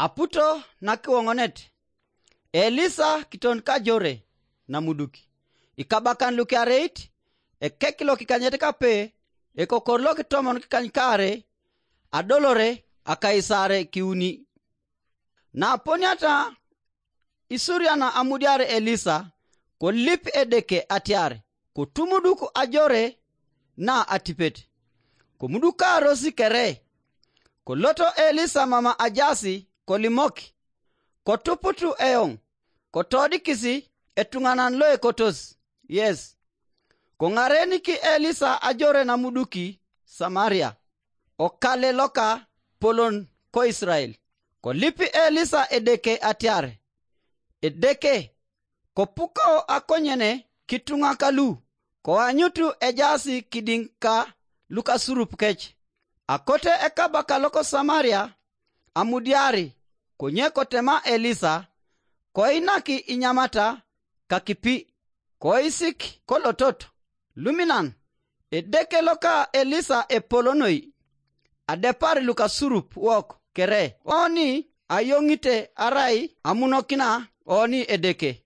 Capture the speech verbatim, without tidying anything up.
Aputo nakiwoŋonet, Elisa kiton kajore namuduki, ikabakan lukiareit, ekek lokikanyet kape, ekokor lokitomon kikany kaare, adolore akaisare kiuni. Naaponiata isuriana amudiar Elisa, kolip Edeke atiar kotumuduk ajore na atipet. Komudukaaros kere, koloto Elisa mama ajasi kolimok, kotuputu eoŋ, kotodikisi etuŋanan loekotos yes. Koŋareniki Elisa ajore namuduki Samaria, okale loka polon ko Israel. Kolipi Elisa Edeke atiar, Edeke, kopuko akonyene kituŋa kalu, koanyutu ejaasi kidiŋ ka lukasurup kec. Akote ekabaka loko Samaria amudiari, konye kotema Elisa, koinaki inyamata kakipi, koisik kolotot. Luminan, Edeke loka Elisa epolonoi, adepar lukasurup wok kere oni ayoŋite arai amunokina oni Edeke.